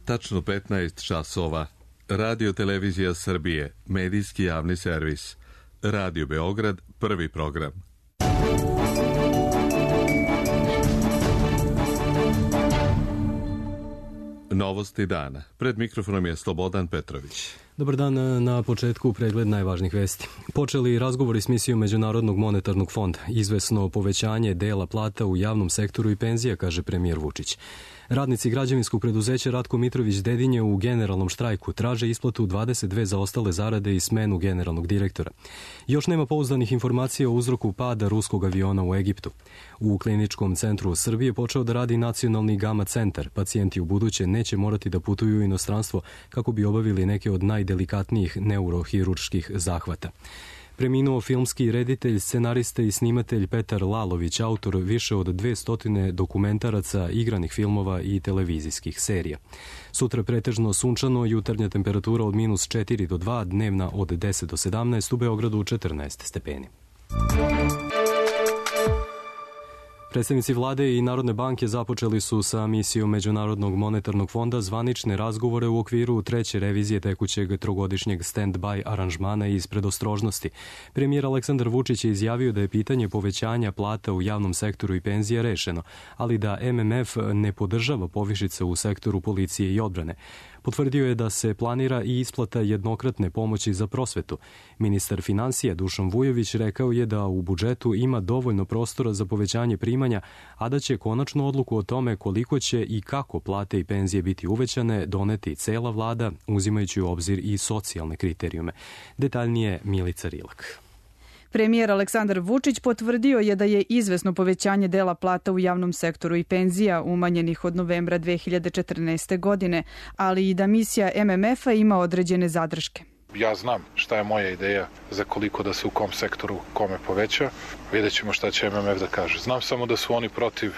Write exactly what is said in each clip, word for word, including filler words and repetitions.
Tačno petnaest časova. Radio Televizija Srbije, medijski javni servis. Radio Beograd, prvi program. Novosti dana. Pred mikrofonom je Slobodan Petrović. Dobar dan, na početku pregled najvažnijih vesti. Počeli razgovori s misijom Međunarodnog monetarnog fonda. Izvesno povećanje dela plata u javnom sektoru i penzija, kaže premijer Vučić. Radnici građevinskog preduzeća Ratko Mitrović Dedinje u generalnom štrajku traže isplatu dvadeset dve zaostale zarade i smenu generalnog direktora. Još nema pouzdanih informacija o uzroku pada ruskog aviona u Egiptu. U Kliničkom centru Srbije počeo da radi nacionalni gama centar. Pacijenti u buduće neće morati da putuju u inostranstvo kako bi obavili neke od najdelikatnijih neurohirurških zahvata. Preminuo filmski reditelj, scenarista i snimatelj Petar Lalović, autor više od dvesta dokumentaraca, igranih filmova i televizijskih serija. Sutra pretežno sunčano, jutarnja temperatura od minus četiri do dva, dnevna od deset do sedamnaest, u Beogradu četrnaest stepeni. Predstavnici vlade i Narodne banke započeli su sa misijom Međunarodnog monetarnog fonda zvanične razgovore u okviru treće revizije tekućeg trogodišnjeg stand-by aranžmana iz predostrožnosti. Premijer Aleksandar Vučić je izjavio da je pitanje povećanja plata u javnom sektoru i penzija rešeno, ali da M M F ne podržava povišice u sektoru policije i odbrane. Potvrdio je da se planira i isplata jednokratne pomoći za prosvetu. Ministar finansija Dušan Vujović rekao je da u budžetu ima dovoljno prostora za povećanje primanja, a da će konačnu odluku o tome koliko će i kako plate i penzije biti uvećane doneti cela vlada, uzimajući u obzir i socijalne kriterijume. Detaljnije Milica Rilak. Premijer Aleksandar Vučić potvrdio je da je izvesno povećanje dela plata u javnom sektoru i penzija umanjenih od novembra dve hiljade četrnaeste. godine, ali i da misija M M F-a ima određene zadrške. Ja znam šta je moja ideja za koliko da se u kom sektoru kome poveća. Vidjet ćemo šta će M M F da kaže. Znam samo da su oni protiv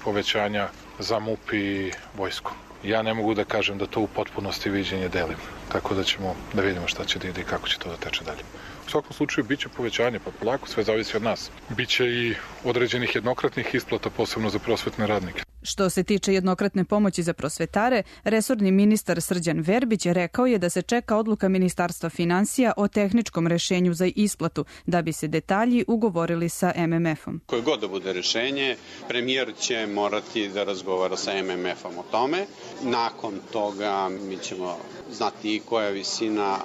povećanja za M U P i vojsku. Ja ne mogu da kažem da to u potpunosti viđenje delim. Tako da ćemo da vidimo šta će da ide i kako će to da teče dalje. U svakom slučaju biće povećanje, pa polako sve zavisi od nas. Biće i određenih jednokratnih isplata, posebno za prosvetne radnike. Što se tiče jednokratne pomoći za prosvetare, resorni ministar Srđan Verbić rekao je da se čeka odluka Ministarstva finansija o tehničkom rešenju za isplatu, da bi se detalji ugovorili sa M M F-om. Koje god da bude rešenje, premijer će morati da razgovara sa M M F-om o tome. Nakon toga mi ćemo znati i koja visina,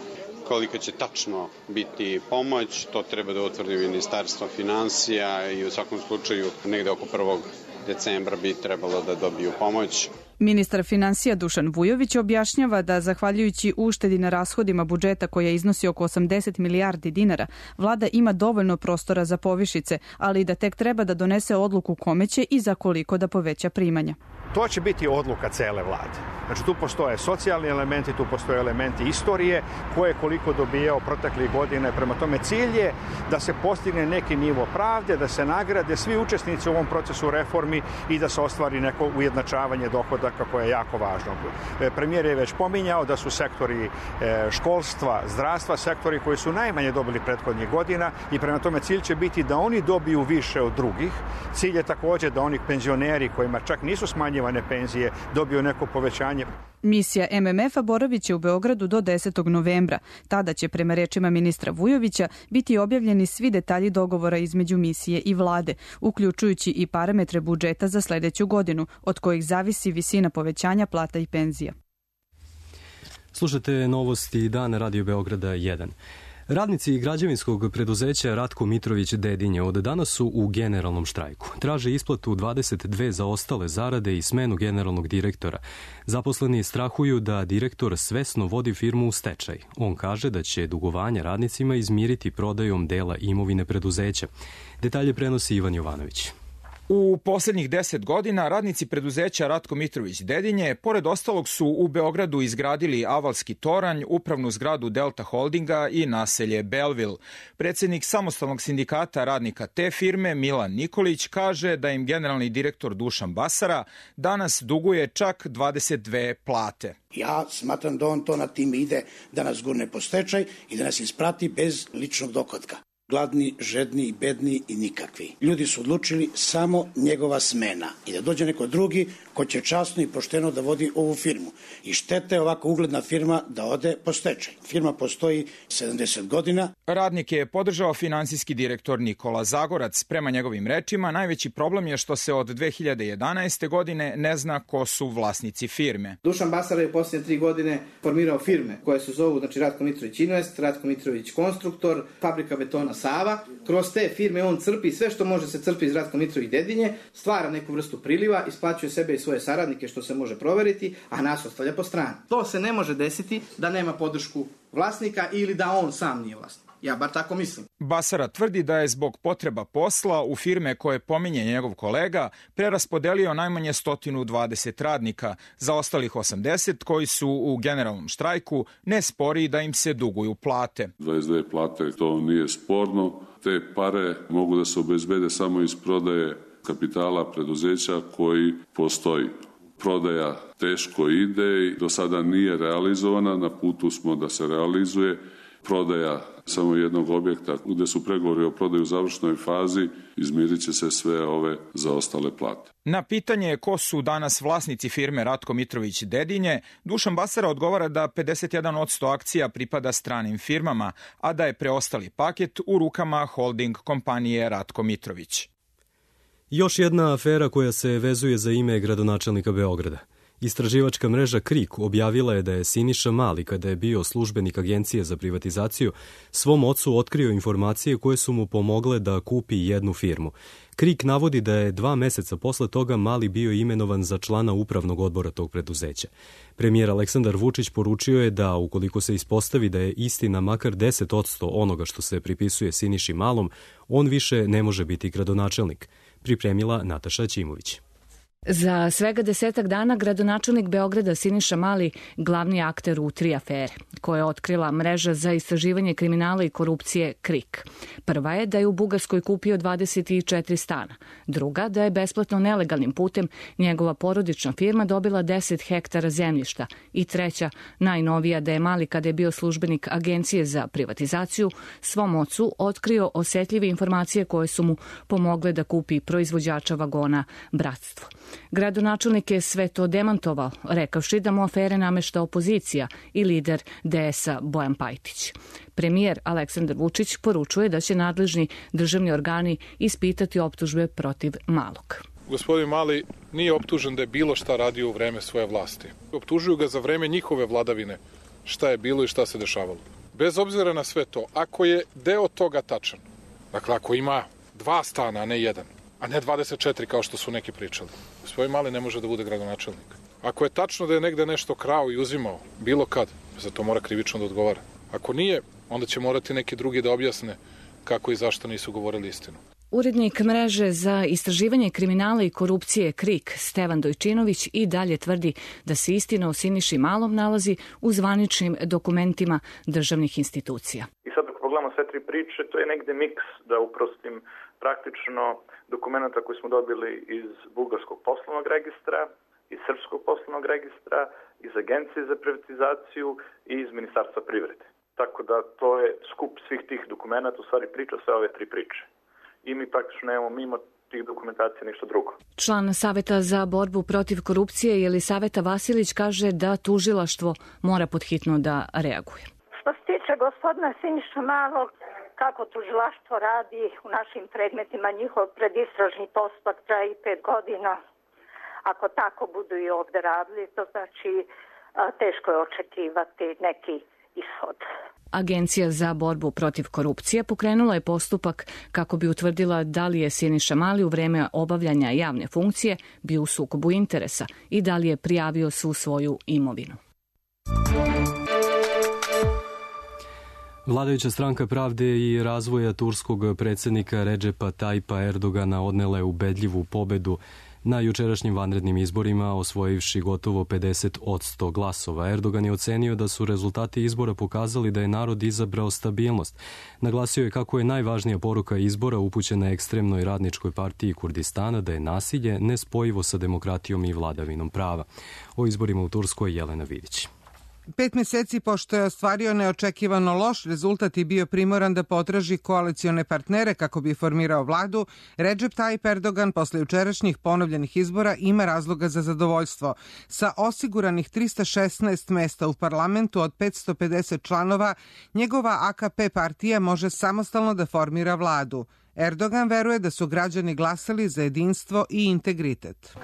kolika će tačno biti pomoć, to treba da utvrdi Ministarstvo finansija i u svakom slučaju negde oko prvog decembra bi trebalo da dobiju pomoć. Ministar finansija Dušan Vujović objašnjava da, zahvaljujući uštedi na rashodima budžeta koja iznosi oko osamdeset milijardi dinara, vlada ima dovoljno prostora za povišice, ali da tek treba da donese odluku kome će i za koliko da poveća primanja. To će biti odluka cele vlade. Znači tu postoje socijalni elementi, tu postoje elementi istorije, ko je koliko dobijao proteklih godina. Prema tome cilj je da se postigne neki nivo pravde, da se nagrade svi učesnici u ovom procesu reformi i da se ostvari neko ujednačavanje dohodaka koje je jako važno. Premijer je već pominjao da su sektori školstva, zdravstva, sektori koji su najmanje dobili prethodnih godina i prema tome cilj će biti da oni dobiju više od drugih. Cilj je takođe da oni penzioneri kojima čak nisu smanjivane penzije dobiju neko povećanje. Misija M M F-a boravit će u Beogradu do desetog novembra. Tada će, prema rečima ministra Vujovića, biti objavljeni svi detalji dogovora između misije i vlade, uključujući i parametre budžeta za sledeću godinu, od kojih zavisi visina povećanja plata i penzija. Slušate novosti Dan Radio Beograda jedan. Radnici građevinskog preduzeća Ratko Mitrović Dedinje od danas su u generalnom štrajku. Traže isplatu dvadeset dve zaostale zarade i smenu generalnog direktora. Zaposleni strahuju da direktor svesno vodi firmu u stečaj. On kaže da će dugovanja radnicima izmiriti prodajom dela imovine preduzeća. Detalje prenosi Ivan Jovanović. U poslednjih deset godina radnici preduzeća Ratko Mitrović Dedinje, pored ostalog, su u Beogradu izgradili Avalski toranj, upravnu zgradu Delta Holdinga i naselje Belville. Predsednik samostalnog sindikata radnika te firme, Milan Nikolić, kaže da im generalni direktor Dušan Basara danas duguje čak dvadeset dve plate. Ja smatram da on to na tim ide da nas gurne po stečaj i da nas isprati bez ličnog dohotka. gladni, žedni i bedni i nikakvi. Ljudi su odlučili samo njegova smena i da dođe neko drugi ko će časno i pošteno da vodi ovu firmu. I šteta je ovako ugledna firma da ode po stečaj. Firma postoji sedamdeset godina. Radnike je podržao finansijski direktor Nikola Zagorac. Prema njegovim rečima, najveći problem je što se od dve hiljade jedanaeste. godine ne zna ko su vlasnici firme. Dušan Basara je u posljednje tri godine formirao firme koje se zovu znači, Ratko Mitrović Invest, Ratko Mitrović Konstruktor, Fabrika betona Sava. Kroz te firme on crpi sve što može se crpi iz Ratko Mitrović Dedinje, stvara neku vrstu priliva, isplaćuje sebe i svoje saradnike što se može proveriti, a nas ostavlja po strani. To se ne može desiti da nema podršku vlasnika ili da on sam nije vlasnik. Ja bar tako mislim. Basara tvrdi da je zbog potreba posla u firme koje pominje njegov kolega preraspodelio najmanje sto dvadeset radnika. Za ostalih osamdeset koji su u generalnom štrajku ne spori da im se duguju plate. dvadeset dve plate, to nije sporno. Te pare mogu da se obezbede samo iz prodaje kapitala preduzeća koji postoji. Prodaja teško ide i do sada nije realizovana, na putu smo da se realizuje. Prodaja samo jednog objekta gde su pregovori o prodaju u završnoj fazi, izmirit će se sve ove zaostale plate. Na pitanje ko su danas vlasnici firme Ratko Mitrović Dedinje, Dušan Basara odgovara da pedeset jedan posto akcija pripada stranim firmama, a da je preostali paket u rukama holding kompanije Ratko Mitrović. Još jedna afera koja se vezuje za ime gradonačelnika Beograda. Istraživačka mreža KRIK objavila je da je Siniša Mali, kada je bio službenik Agencije za privatizaciju, svom ocu otkrio informacije koje su mu pomogle da kupi jednu firmu. KRIK navodi da je dva meseca posle toga Mali bio imenovan za člana upravnog odbora tog preduzeća. Premijer Aleksandar Vučić poručio je da, ukoliko se ispostavi da je istina makar deset posto onoga što se pripisuje Siniši Malom, on više ne može biti gradonačelnik. Pripremila Nataša Ćimović. Za svega desetak dana gradonačelnik Beograda Siniša Mali glavni akter u tri afere, koje je otkrila mreža za istraživanje kriminala i korupcije KRIK. Prva je da je u Bugarskoj kupio dvadeset četiri stana. Druga, da je besplatno nelegalnim putem njegova porodična firma dobila deset hektara zemljišta. I treća, najnovija, da je Mali, kada je bio službenik Agencije za privatizaciju, svom ocu otkrio osetljive informacije koje su mu pomogle da kupi proizvođača vagona Bratstvo. Gradonačelnik je sve to demantovao, rekavši da mu afere namešta opozicija i lider D S-a Bojan Pajtić. Premijer Aleksandar Vučić poručuje da će nadležni državni organi ispitati optužbe protiv Malog. Gospodin Mali nije optužen da je bilo šta radio u vreme svoje vlasti. Optužuju ga za vreme njihove vladavine, šta je bilo i šta se dešavalo. Bez obzira na sve to, ako je deo toga tačan, dakle ako ima dva stana, a ne jedan, a ne dvadeset četiri kao što su neki pričali, gospodin Mali ne može da bude gradonačelnik. Ako je tačno da je negde nešto krao i uzimao, bilo kad, za to mora krivično da odgovara. Ako nije, onda će morati neki drugi da objasne kako i zašto nisu govorili istinu. Urednik mreže za istraživanje kriminala i korupcije KRIK Stevan Dojčinović i dalje tvrdi da se istina o Siniši Malom nalazi u zvaničnim dokumentima državnih institucija. I sad ako pogledamo sve tri priče, to je negde miks, da uprostim, praktično dokumenta koji smo dobili iz Bugarskog poslovnog registra, iz Srpskog poslovnog registra, iz Agencije za privatizaciju i iz Ministarstva privrede. Tako da to je skup svih tih dokumenta, u stvari priča sve ove tri priče. I mi praktično nemamo mimo tih dokumentacija ništa drugo. Član Saveta za borbu protiv korupcije Jelisaveta Vasilić kaže da tužilaštvo mora podhitno da reaguje. Što se tiče gospodina Siniša Malog, kako tužilaštvo radi u našim predmetima, njihov predistražni postupak traje i pet godina. Ako tako budu i ovde radili, to znači teško je očekivati neki ishod. Agencija za borbu protiv korupcije pokrenula je postupak kako bi utvrdila da li je Siniša Mali u vreme obavljanja javne funkcije bio u sukobu interesa i da li je prijavio svu svoju imovinu. Vladajuća stranka Pravde i razvoja turskog predsjednika Redžepa Tajpa Erdogana odnela je ubedljivu pobedu na jučerašnjim vanrednim izborima, osvojivši gotovo pedeset posto glasova. Erdogan je ocenio da su rezultati izbora pokazali da je narod izabrao stabilnost. Naglasio je kako je najvažnija poruka izbora upućena ekstremnoj radničkoj partiji Kurdistana da je nasilje nespojivo sa demokratijom i vladavinom prava. O izborima u Turskoj Jelena Vidić. Pet meseci pošto je ostvario neočekivano loš rezultat i bio primoran da potraži koalicione partnere kako bi formirao vladu, Recep Tayyip Erdogan posle jučerašnjih ponovljenih izbora ima razloga za zadovoljstvo. Sa osiguranih trista šesnaest mesta u parlamentu od petsto pedeset članova, njegova A K P partija može samostalno da formira vladu. Erdogan veruje da su građani glasali za jedinstvo i integritet.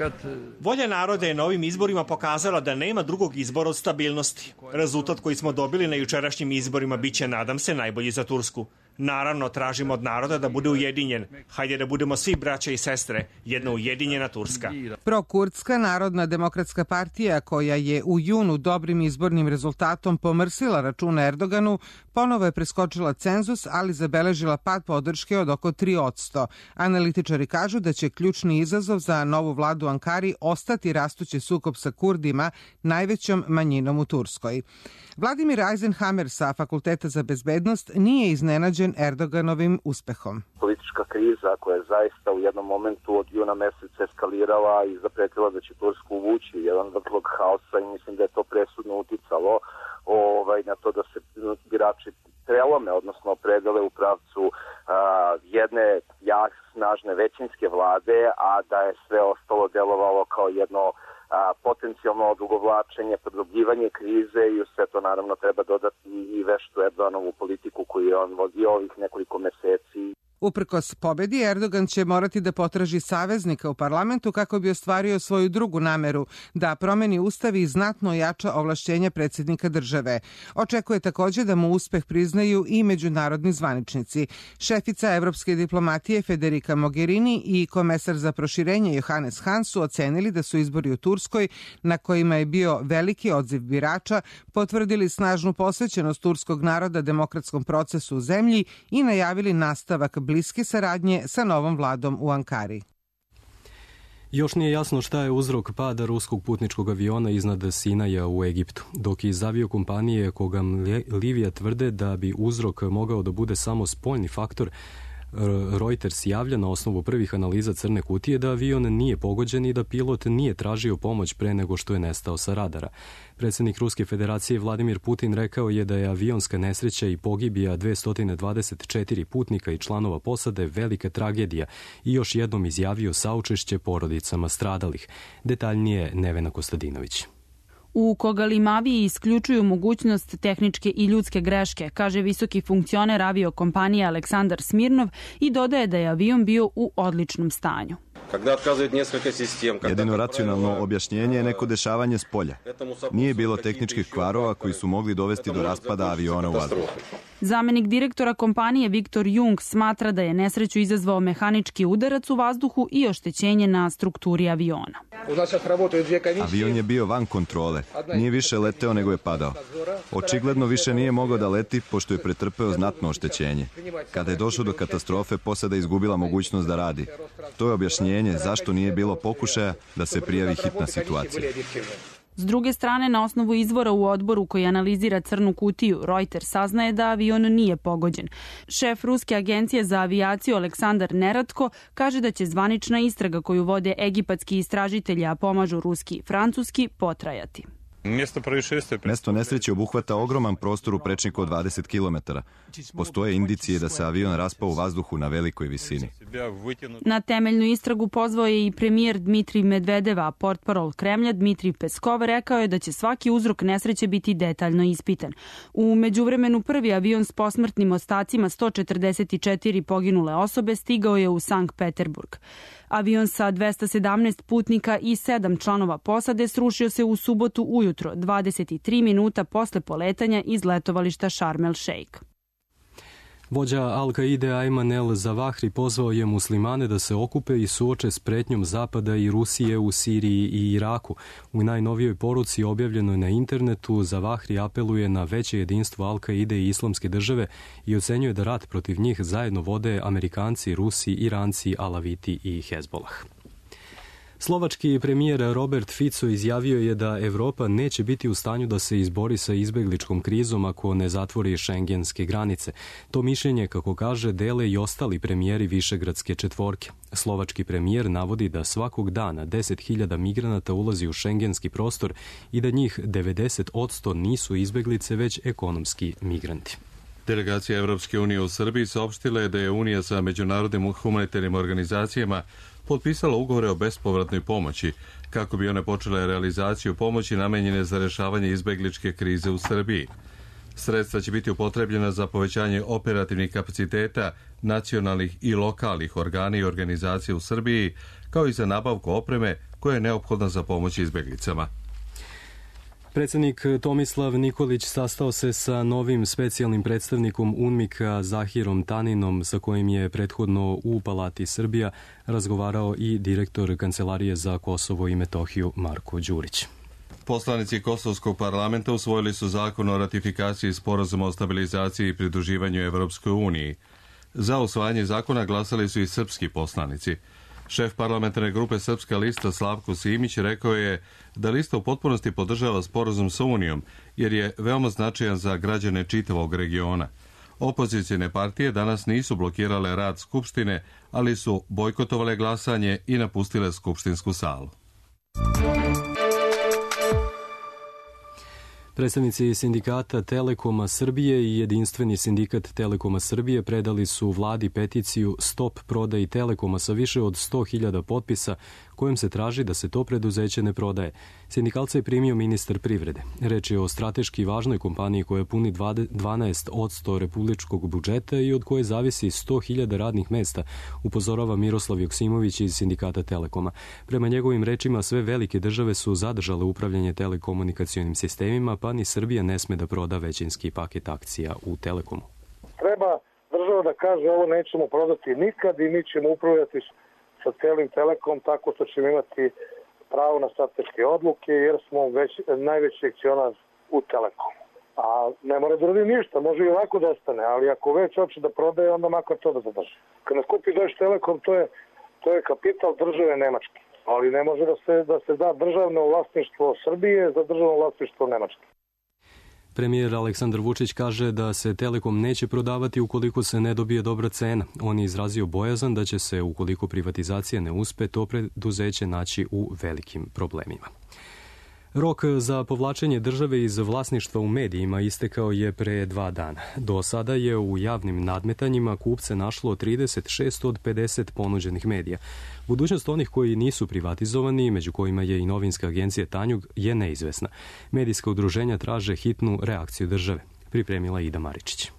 Volja naroda je na ovim izborima pokazala da nema drugog izbora od stabilnosti. Rezultat koji smo dobili na jučerašnjim izborima biće, nadam se, najbolji za Tursku. Naravno, tražimo od naroda da bude ujedinjen. Hajde da budemo svi braća i sestre, jedna ujedinjena Turska. Prokurdska Narodna demokratska partija, koja je u junu dobrim izbornim rezultatom pomrsila računa Erdoganu, ponovo je preskočila cenzus, ali zabeležila pad podrške od oko tri posto. Analitičari kažu da će ključni izazov za novu vladu u Ankari ostati rastući sukob sa Kurdima, najvećom manjinom u Turskoj. Vladimir Eisenhammer sa Fakulteta za bezbednost nije iznenađen Erdoganovim uspehom. Politička kriza koja je zaista u jednom momentu od juna meseca eskalirala i zapretila da će Tursku uvući u jedan vrtlog haosa i mislim da je to presudno uticalo ovaj, na to da se birači prelome, odnosno opredele u pravcu a, jedne jak, snažne većinske vlade, a da je sve ostalo delovalo kao jedno a, potencijalno odugovlačenje, produbljivanje krize i u sve to naravno treba dodati i veštu Erdoganovu politiku koju je on vodio ovih nekoliko meseci. Uprkos pobedi, Erdogan će morati da potraži saveznika u parlamentu kako bi ostvario svoju drugu nameru, da promeni ustav i znatno jača ovlašćenja predsjednika države. Očekuje također da mu uspeh priznaju i međunarodni zvaničnici. Šefica evropske diplomatije Federica Mogherini i komesar za proširenje Johannes Hahn su ocenili da su izbori u Turskoj, na kojima je bio veliki odziv birača, potvrdili snažnu posvećenost turskog naroda demokratskom procesu u zemlji i najavili nastavak bliske saradnje sa novom vladom u Ankari. Još nije jasno šta je uzrok pada ruskog putničkog aviona iznad Sinaja u Egiptu, dok iz aviokompanije Kogam Livija tvrde da bi uzrok mogao da bude samo spoljni faktor. Reuters javlja na osnovu prvih analiza crne kutije da avion nije pogođen i da pilot nije tražio pomoć pre nego što je nestao sa radara. Predsjednik Ruske federacije Vladimir Putin rekao je da je avionska nesreća i pogibija dvesta dvadeset četiri putnika i članova posade velika tragedija i još jednom izjavio saučešće porodicama stradalih. Detaljnije Nevena Kostadinović. U Kogalimaviji isključuju mogućnost tehničke i ljudske greške, kaže visoki funkcioner aviokompanije Aleksandar Smirnov i dodaje da je avion bio u odličnom stanju. Jedino racionalno objašnjenje je neko dešavanje s polja. Nije bilo tehničkih kvarova koji su mogli dovesti do raspada aviona u vazduhu. Zamenik direktora kompanije Viktor Jung smatra da je nesreću izazvao mehanički udarac u vazduhu i oštećenje na strukturi aviona. Avion je bio van kontrole. Nije više leteo nego je padao. Očigledno više nije mogao da leti pošto je pretrpeo znatno oštećenje. Kada je došlo do katastrofe, posada je izgubila mogućnost da radi. To je objašnjenje zašto nije bilo pokušaja da se prijavi hitna situacija. S druge strane, na osnovu izvora u odboru koji analizira crnu kutiju, Reuters saznaje da avion nije pogođen. Šef Ruske agencije za avijaciju Aleksandar Neratko kaže da će zvanična istraga koju vode egipatski istražitelji, a pomažu ruski i francuski, potrajati. Mesto nesreće obuhvata ogroman prostor u prečniku od dvadeset kilometara. Postoje indicije da se avion raspao u vazduhu na velikoj visini. Na temeljnu istragu pozvao je i premijer Dmitrij Medvedev, a portparol Kremlja Dmitrij Peskov rekao je da će svaki uzrok nesreće biti detaljno ispitan. U međuvremenu prvi avion s posmrtnim ostacima sto četrdeset četiri poginule osobe stigao je u Sankt Peterburg. Avion sa dvesta sedamnaest putnika i sedam članova posade srušio se u subotu ujutro, dvadeset tri minuta posle poletanja iz letovališta Sharm el Sheikh. Vođa Al-Kaide Ayman el-Zawahri pozvao je muslimane da se okupe i suoče s pretnjom Zapada i Rusije u Siriji i Iraku. U najnovijoj poruci objavljenoj na internetu Zawahri apeluje na veće jedinstvo Al-Kaide i Islamske države i ocenjuje da rat protiv njih zajedno vode Amerikanci, Rusi, Iranci, Alaviti i Hezbolah. Slovački premijer Robert Fico izjavio je da Evropa neće biti u stanju da se izbori sa izbegličkom krizom ako ne zatvori šengenske granice. To mišljenje, kako kaže, dele i ostali premijeri Višegradske četvorke. Slovački premijer navodi da svakog dana deset hiljada migranata ulazi u šengenski prostor i da njih devedeset posto nisu izbeglice, već ekonomski migranti. Delegacija Evropske unije u Srbiji saopštila je da je Unija sa međunarodnim humanitarnim organizacijama potpisala ugovore o bespovratnoj pomoći, kako bi one počele realizaciju pomoći namenjene za rešavanje izbegličke krize u Srbiji. Sredstva će biti upotrebljena za povećanje operativnih kapaciteta nacionalnih i lokalnih organa i organizacija u Srbiji, kao i za nabavku opreme koja je neophodna za pomoć izbeglicama. Predsjednik Tomislav Nikolić sastao se sa novim specijalnim predstavnikom UNMIK-a Zahirom Taninom, sa kojim je prethodno u Palati Srbija razgovarao i direktor Kancelarije za Kosovo i Metohiju Marko Đurić. Poslanici Kosovskog parlamenta usvojili su zakon o ratifikaciji sporazuma o stabilizaciji i pridruživanju Evropskoj uniji. Za usvajanje zakona glasali su i srpski poslanici. Šef parlamentarne grupe Srpska lista Slavko Simić rekao je da lista u potpunosti podržava sporazum sa Unijom, jer je veoma značajan za građane čitavog regiona. Opozicijne partije danas nisu blokirale rad Skupštine, ali su bojkotovale glasanje i napustile skupštinsku salu. Predstavnici sindikata Telekoma Srbije i Jedinstveni sindikat Telekoma Srbije predali su vladi peticiju Stop prodaji Telekoma sa više od sto hiljada potpisa, kojim se traži da se to preduzeće ne prodaje. Sindikalca je primio ministar privrede. Reč je o strateški važnoj kompaniji koja puni dvanaest posto republičkog budžeta i od koje zavisi sto hiljada radnih mesta, upozorava Miroslav Joksimović iz sindikata Telekoma. Prema njegovim rečima, sve velike države su zadržale upravljanje telekomunikacionim sistemima, pa ni Srbija ne sme da proda većinski paket akcija u Telekomu. Treba država da kaže ovo nećemo prodati nikad i mi ćemo upravljati sa celim Telekom tako što ćemo imati pravo na strateške odluke jer smo već najveći akcionar u Telekomu. A ne mora da radi ništa, može i ovako da ostane, ali ako već hoće da prodaje, onda makar to da zadrži. Kad nas kupi Deutsche Telekom, to je, to je kapital države Nemačke, ali ne može da se, da se da državno vlasništvo Srbije za državno vlasništvo Nemačke. Premijer Aleksandar Vučić kaže da se Telekom neće prodavati ukoliko se ne dobije dobra cena. On je izrazio bojazan da će se, ukoliko privatizacija ne uspe, to preduzeće naći u velikim problemima. Rok za povlačenje države iz vlasništva u medijima istekao je pre dva dana. Do sada je u javnim nadmetanjima kupce našlo trideset šest od pedeset ponuđenih medija. Budućnost onih koji nisu privatizovani, među kojima je i novinska agencija Tanjug, je neizvesna. Medijska udruženja traže hitnu reakciju države. Pripremila Ida Maričić.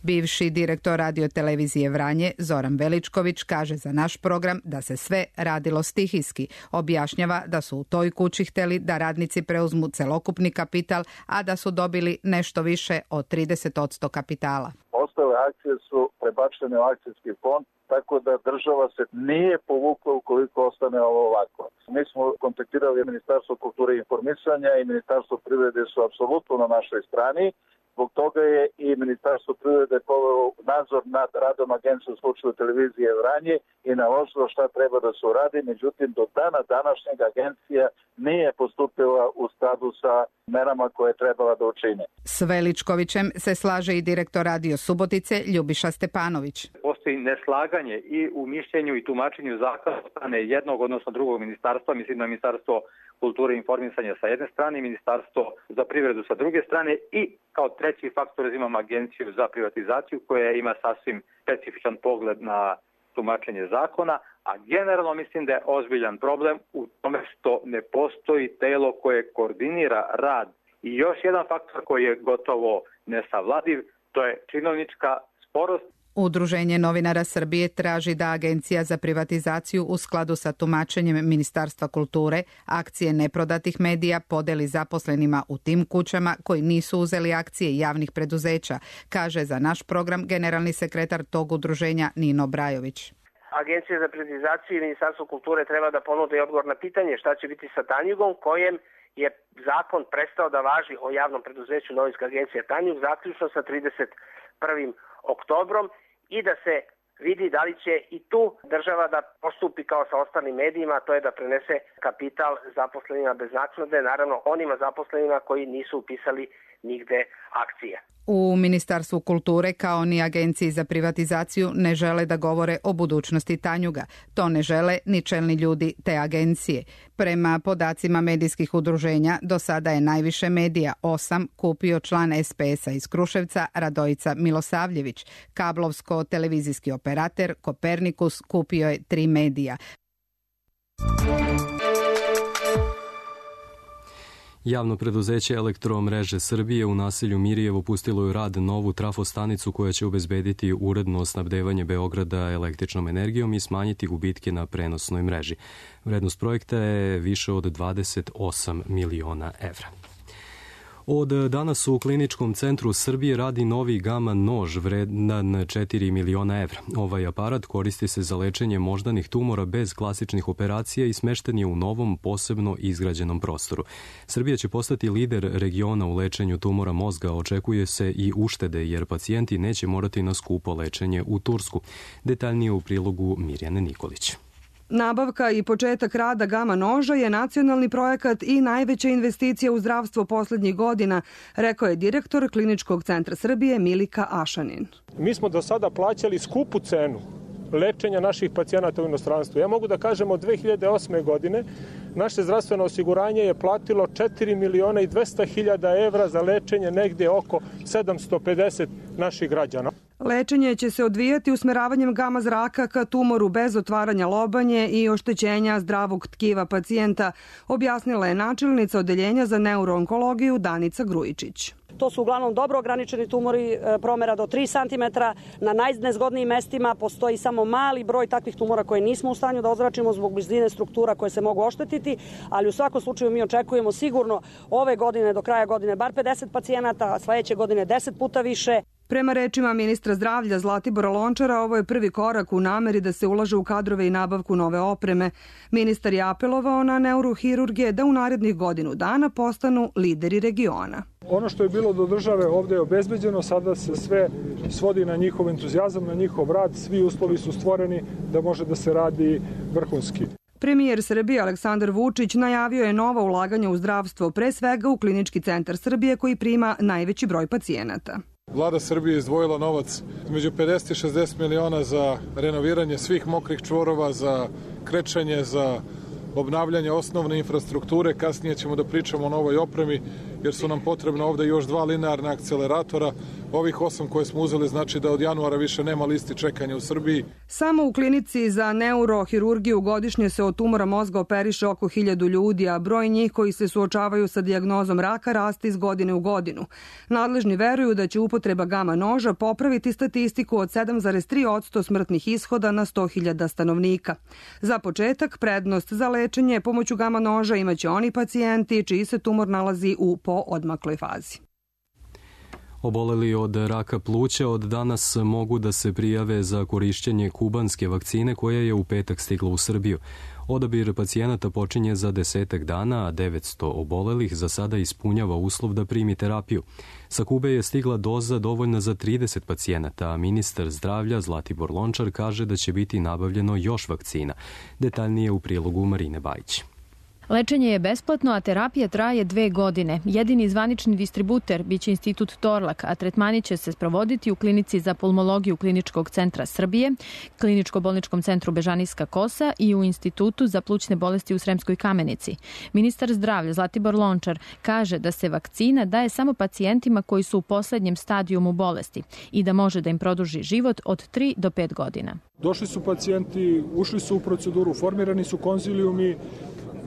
Bivši direktor radiotelevizije Vranje Zoran Veličković kaže za naš program da se sve radilo stihijski. Objašnjava da su u toj kući hteli da radnici preuzmu celokupni kapital, a da su dobili nešto više od trideset posto kapitala. Ostale akcije su prebačene u akcijski fond, tako da država se nije povukla ukoliko ostane ovo ovako. Mi smo kontaktirali Ministarstvo kulture i informisanja i Ministarstvo privrede su apsolutno na našoj strani. Zbog toga je i Ministarstvo privrede povelo nadzor nad radom agencije u slučaju televizije Vranje i naložilo šta treba da se uradi. Međutim, do dana današnjeg agencija nije postupila u skladu sa merama koje je trebala da učine. S Veličkovićem se slaže i direktor Radio Subotice Ljubiša Stepanović. Postoji neslaganje i u mišljenju i tumačenju zakona od strane jednog, odnosno drugog ministarstva, mislim na Ministarstvo kulture i informisanja sa jedne strane i Ministarstvo za privredu sa druge strane i kao treći faktor imam Agenciju za privatizaciju koja ima sasvim specifičan pogled na tumačenje zakona, a generalno mislim da je ozbiljan problem u tome što ne postoji telo koje koordinira rad. I još jedan faktor koji je gotovo nesavladiv, to je činovnička sporost. Udruženje novinara Srbije traži da Agencija za privatizaciju u skladu sa tumačenjem Ministarstva kulture akcije neprodatih medija podeli zaposlenima u tim kućama koji nisu uzeli akcije javnih preduzeća, kaže za naš program generalni sekretar tog udruženja Nino Brajović. Agencija za privatizaciju i Ministarstvo kulture treba da ponude odgovor na pitanje šta će biti sa Tanjugom, kojem je zakon prestao da važi o javnom preduzeću Novinska agencija Tanjug, zaključno sa trideset prvim oktobrom i da se vidi da li će i tu država da postupi kao sa ostalim medijima, to je da prenese kapital zaposlenima bez naknade, naravno onima zaposlenima koji nisu upisali nigde akcije. U Ministarstvu kulture kao ni Agenciji za privatizaciju ne žele da govore o budućnosti Tanjuga. To ne žele ni čelni ljudi te agencije. Prema podacima medijskih udruženja, do sada je najviše medija, osam, kupio član es pe es a iz Kruševca Radojica Milosavljević. Kablovsko-televizijski operater Kopernikus kupio je tri medija. Javno preduzeće Elektromreže Srbije u naselju Mirijevo pustilo je u rad novu trafostanicu koja će obezbediti uredno snabdevanje Beograda električnom energijom i smanjiti gubitke na prenosnoj mreži. Vrednost projekta je više od dvadeset osam miliona evra. Od danas u Kliničkom centru Srbije radi novi gama nož vredan četiri miliona evra. Ovaj aparat koristi se za lečenje moždanih tumora bez klasičnih operacija i smešten je u novom posebno izgrađenom prostoru. Srbija će postati lider regiona u lečenju tumora mozga, očekuje se i uštede jer pacijenti neće morati na skupo lečenje u Tursku. Detaljnije u prilogu Mirjane Nikolić. Nabavka i početak rada gama noža je nacionalni projekat i najveća investicija u zdravstvo poslednjih godina, rekao je direktor Kliničkog centra Srbije Milika Ašanin. Mi smo do sada plaćali skupu cenu lečenja naših pacijenata u inostranstvu. Ja mogu da kažem od dve hiljade osme. godine naše zdravstveno osiguranje je platilo četiri miliona i dvesta hiljada evra za lečenje negde oko sedamsto pedeset naših građana. Lečenje će se odvijati usmeravanjem gama zraka ka tumoru bez otvaranja lobanje i oštećenja zdravog tkiva pacijenta, objasnila je načelnica odeljenja za neuroonkologiju Danica Grujičić. To su uglavnom dobro ograničeni tumori promera do tri centimetra. Na najnezgodnijim mestima postoji samo mali broj takvih tumora koje nismo u stanju da ozračimo zbog blizine struktura koje se mogu oštetiti, ali u svakom slučaju mi očekujemo sigurno ove godine do kraja godine bar pedeset pacijenata, a sledeće godine deset puta više. Prema rečima ministra zdravlja Zlatibora Lončara, ovo je prvi korak u nameri da se ulaže u kadrove i nabavku nove opreme. Ministar je apelovao na neurohirurgije da u narednih godinu dana postanu lideri regiona. Ono što je bilo do države ovde je obezbeđeno, sada se sve svodi na njihov entuzijazam, na njihov rad, svi uslovi su stvoreni da može da se radi vrhunski. Premijer Srbije Aleksandar Vučić najavio je nova ulaganja u zdravstvo, pre svega u Klinički centar Srbije koji prima najveći broj pacijenata. Vlada Srbije izdvojila novac među pedeset i šezdeset miliona za renoviranje svih mokrih čvorova, za krečanje, za obnavljanje osnovne infrastrukture. Kasnije ćemo da pričamo o novoj opremi jer su nam potrebno ovde još dva linearna akceleratora. Ovih osam koje smo uzeli znači da od januara više nema listi čekanja u Srbiji. Samo u klinici za neurohirurgiju godišnje se od tumora mozga operiše oko hiljadu ljudi, a broj njih koji se suočavaju sa dijagnozom raka raste iz godine u godinu. Nadležni veruju da će upotreba gama noža popraviti statistiku od sedam zarez tri posto smrtnih ishoda na sto hiljada stanovnika. Za početak, prednost za lečenje pomoću gama noža imaće oni pacijenti čiji se tumor nalazi u poodmakloj fazi. Oboleli od raka pluća od danas mogu da se prijave za korišćenje kubanske vakcine koja je u petak stigla u Srbiju. Odabir pacijenata počinje za desetak dana, a devetsto obolelih za sada ispunjava uslov da primi terapiju. Sa Kube je stigla doza dovoljna za trideset pacijenata, a ministar zdravlja Zlatibor Lončar kaže da će biti nabavljeno još vakcina. Detaljnije u prilogu Marine Bajić. Lečenje je besplatno, a terapija traje dve godine. Jedini zvanični distributer biće Institut Torlak, a tretmani će se sprovoditi u klinici za pulmologiju Kliničkog centra Srbije, Kliničko-bolničkom centru Bežanijska Kosa i u Institutu za plućne bolesti u Sremskoj Kamenici. Ministar zdravlja Zlatibor Lončar kaže da se vakcina daje samo pacijentima koji su u poslednjem stadijumu bolesti i da može da im produži život od tri do pet godina. Došli su pacijenti, ušli su u proceduru, formirani su konzilijumi,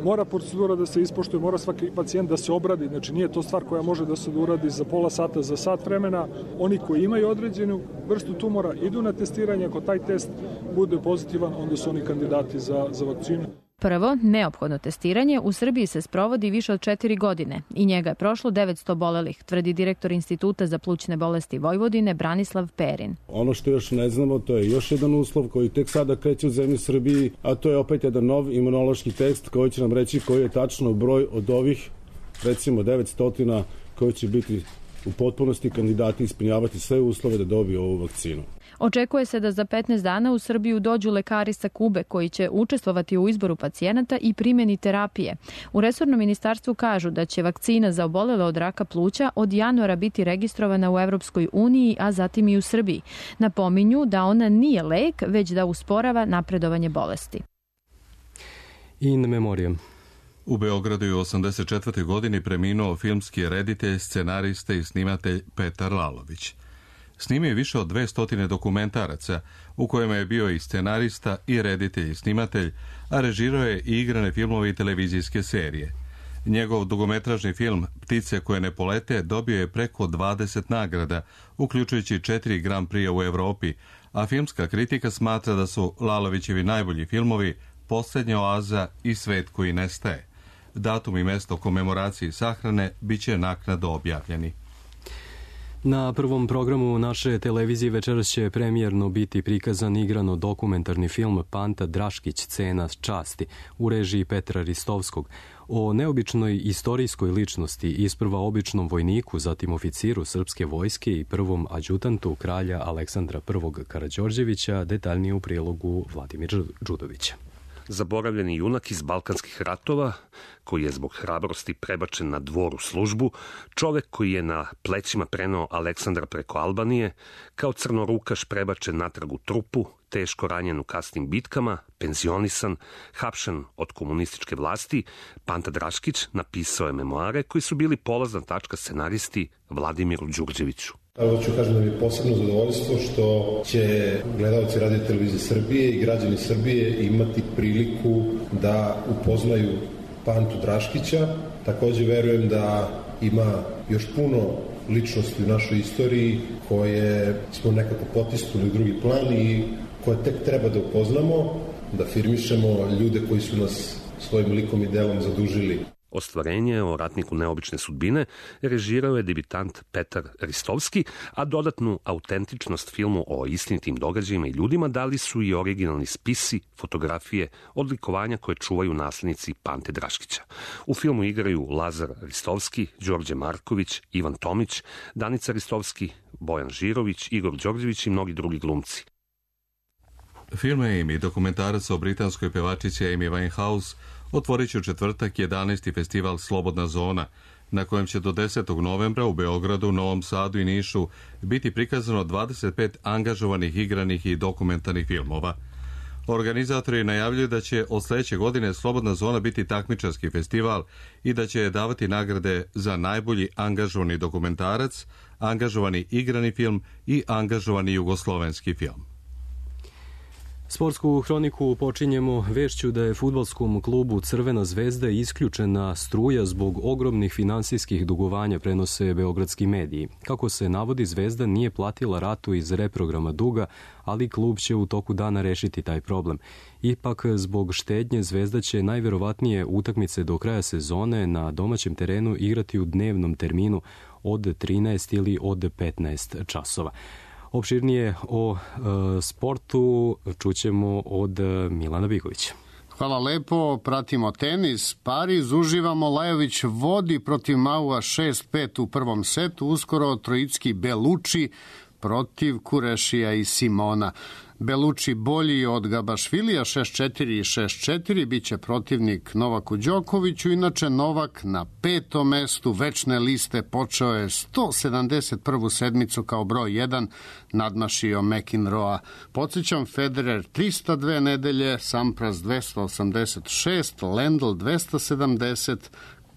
mora procedura da se ispoštuje, mora svaki pacijent da se obradi, znači nije to stvar koja može da se uradi za pola sata, za sat vremena. Oni koji imaju određenu vrstu tumora idu na testiranje, ako taj test bude pozitivan, onda su oni kandidati za, za vakcinu. Prvo, neophodno testiranje u Srbiji se sprovodi više od četiri godine i njega je prošlo devetsto obolelih, tvrdi direktor Instituta za plućne bolesti Vojvodine Branislav Perin. Ono što još ne znamo, to je još jedan uslov koji tek sada kreće u zemlji Srbiji, a to je opet jedan nov imunološki test koji će nam reći koji je tačno broj od ovih, recimo devetsto koji će biti u potpunosti kandidati ispunjavati sve uslove da dobiju ovu vakcinu. Očekuje se da za petnaest dana u Srbiju dođu lekari sa Kube koji će učestvovati u izboru pacijenata i primjeni terapije. U resornom ministarstvu kažu da će vakcina za obolele od raka pluća od januara biti registrovana u Evropskoj uniji, a zatim i u Srbiji. Napominju da ona nije lek, već da usporava napredovanje bolesti. In memoriam. U Beogradu je u osamdeset četvrtoj godini preminuo filmski reditelj, scenarista i snimatelj Petar Lalović. Snimio je više od dvesta dokumentaraca, u kojima je bio i scenarista, i reditelj i snimatelj, a režirao je i igrane filmove i televizijske serije. Njegov dugometražni film Ptice koje ne polete dobio je preko dvadeset nagrada, uključujući četiri Grand Prix u Evropi, a filmska kritika smatra da su Lalovićevi najbolji filmovi Posljednja oaza i Svet koji nestaje. Datum i mesto komemoracije i sahrane bit će naknadno objavljeni. Na prvom programu naše televizije večeras će premijerno biti prikazan igrano dokumentarni film Panta Draškić, Cena časti, u režiji Petra Ristovskog, o neobičnoj istorijskoj ličnosti, isprva običnom vojniku, zatim oficiru srpske vojske i prvom adjutantu kralja Aleksandra I. Karađorđevića, detaljnije u prilogu Vladimira Đudovića. Zaboravljeni junak iz Balkanskih ratova, koji je zbog hrabrosti prebačen na dvor u službu, čovek koji je na plećima preneo Aleksandra preko Albanije, kao crnorukaš prebačen natrag u trupu, teško ranjen u kasnim bitkama, penzionisan, hapšen od komunističke vlasti, Panta Draškić napisao je memoare koji su bili polazna tačka scenaristi Vladimiru Đurđeviću. Evo ću kažem da mi je posebno zadovoljstvo što će gledalci Radio Televizije Srbije i građani Srbije imati priliku da upoznaju Pantu Draškića. Takođe verujem da ima još puno ličnosti u našoj istoriji koje smo nekako potisnuli u drugi plan i koje tek treba da upoznamo, da afirmišemo ljude koji su nas svojim likom i delom zadužili. Ostvarenje o ratniku neobične sudbine režirao je debitant Petar Ristovski, a dodatnu autentičnost filmu o istinitim događajima i ljudima dali su i originalni spisi, fotografije, odlikovanja koje čuvaju naslednici Pante Draškića. U filmu igraju Lazar Ristovski, Đorđe Marković, Ivan Tomić, Danica Ristovski, Bojan Žirović, Igor Đorđević i mnogi drugi glumci. Film Amy, dokumentarac o britanskoj pevačici Amy Winehouse, otvorit će u četvrtak jedanaesti festival Slobodna zona, na kojem će do desetog novembra u Beogradu, Novom Sadu i Nišu biti prikazano dvadeset pet angažovanih igranih i dokumentarnih filmova. Organizatori najavljuju da će od sledeće godine Slobodna zona biti takmičarski festival i da će davati nagrade za najbolji angažovani dokumentarac, angažovani igrani film i angažovani jugoslovenski film. Sportsku hroniku počinjemo vešću da je fudbalskom klubu Crvena zvezda isključena struja zbog ogromnih finansijskih dugovanja, prenose beogradski mediji. Kako se navodi, Zvezda nije platila ratu iz reprograma duga, ali klub će u toku dana rešiti taj problem. Ipak, zbog štednje, Zvezda će najverovatnije utakmice do kraja sezone na domaćem terenu igrati u dnevnom terminu od trinaest ili od petnaest časova. Opširnije o e, sportu čućemo od Milana Bigovića. Hvala lepo, pratimo tenis. Pariz, uživamo, Lajović vodi protiv Maua šest pet u prvom setu, uskoro trojicki Belucci protiv Kurešija i Simona. Belucci bolji od Gabašvilija šest četiri i šest četiri, biće protivnik Novaku Đokoviću, inače Novak na petom mestu večne liste počeo je sto sedamdeset prvu sedmicu kao broj jedan, nadmašio McEnroea. Podsjećam, Federer trista dve nedelje, Sampras dvesta osamdeset šest, Lendl dvesta sedamdeset,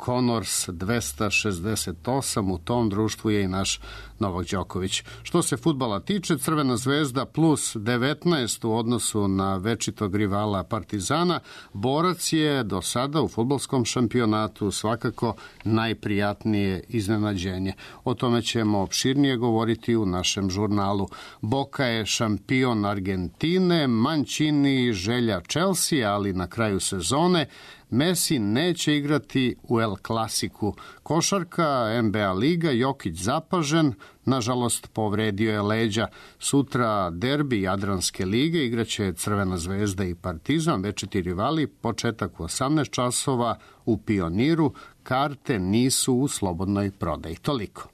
Connors dvesta šezdeset osam, u tom društvu je i naš Novak Đoković. Što se fudbala tiče, Crvena zvezda plus devetnaest u odnosu na večitog rivala Partizana. Borac je do sada u fudbalskom šampionatu svakako najprijatnije iznenađenje. O tome ćemo opširnije govoriti u našem žurnalu. Boca je šampion Argentine, Mancini želja Chelsea, ali na kraju sezone Messi neće igrati u El Clasiku. Košarka, N B A liga, Jokić zapažen, nažalost povredio je leđa. Sutra derbi Jadranske lige, igraće Crvena zvezda i Partizan, večiti rivali, početak u osamnaest časova u Pioniru, karte nisu u slobodnoj prodaji. Toliko.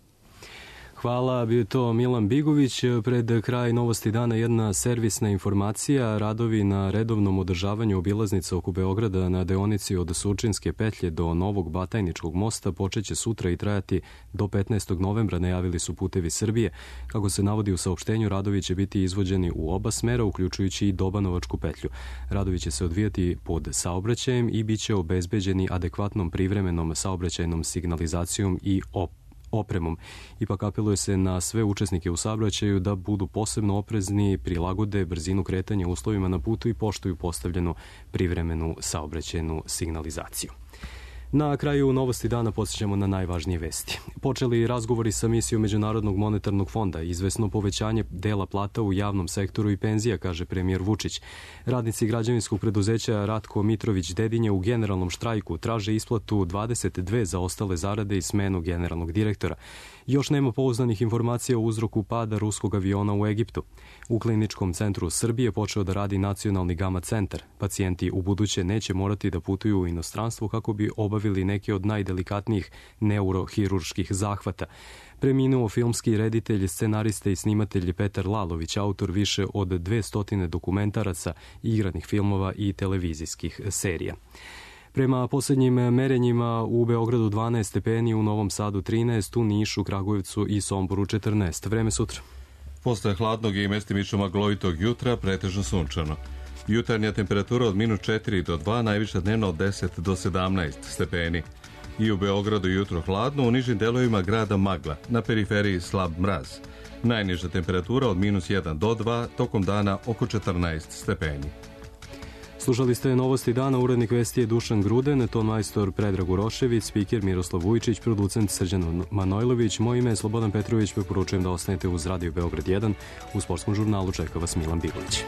Hvala, bio je to Milan Bigović. Pred kraj Novosti dana jedna servisna informacija. Radovi na redovnom održavanju obilaznica oko Beograda na deonici od Surčinske petlje do Novog Batajničkog mosta počeće sutra i trajati do petnaestog novembra, najavili su Putevi Srbije. Kako se navodi u saopštenju, radovi će biti izvođeni u oba smera, uključujući i Dobanovačku petlju. Radovi će se odvijati pod saobraćajem i bit će obezbeđeni adekvatnom privremenom saobraćajnom signalizacijom i op opremom. Ipak apeluje se na sve učesnike u saobraćaju da budu posebno oprezni, prilagode brzinu kretanja uslovima na putu i poštuju postavljenu privremenu saobraćajnu signalizaciju. Na kraju Novosti dana podsjećamo na najvažnije vesti. Počeli razgovori sa misijom Međunarodnog monetarnog fonda, izvesno povećanje dela plata u javnom sektoru i penzija, kaže premijer Vučić. Radnici građevinskog preduzeća Ratko Mitrović Dedinje u generalnom štrajku traže isplatu dvadeset dve zaostale zarade i smenu generalnog direktora. Još nema pouzdanih informacija o uzroku pada ruskog aviona u Egiptu. U Kliničkom centru Srbije počeo da radi nacionalni gama centar. Pacijenti u buduće neće morati da putuju u inostranstvo kako bi obavili neke od najdelikatnijih neurohirurških zahvata. Preminuo filmski reditelj, scenarista i snimatelj Petar Lalović, autor više od dvesta dokumentaraca, igranih filmova i televizijskih serija. Prema posljednjim merenjima u Beogradu dvanaest stepeni, u Novom Sadu trinaest, u Nišu, Kragujevcu i Somboru četrnaest. Vreme sutra. Posle hladnog i mestimično maglovitog jutra pretežno sunčano. Jutarnja temperatura od minus četiri do dva, najviša dnevno od deset do sedamnaest stepeni. I u Beogradu jutro hladno, u nižim delovima grada magla, na periferiji slab mraz. Najniža temperatura od minus jedan do dva, tokom dana oko četrnaest stepeni. Slušali ste Novosti dana, urednik vesti je Dušan Gruden, ton majstor Predrag Urošević, spiker Miroslav Vujčić, producent Srđan Manojlović, moje ime je Slobodan Petrović, preporučujem da ostanete uz Radio Beograd jedan, u sportskom žurnalu čeka vas Milan Bigović.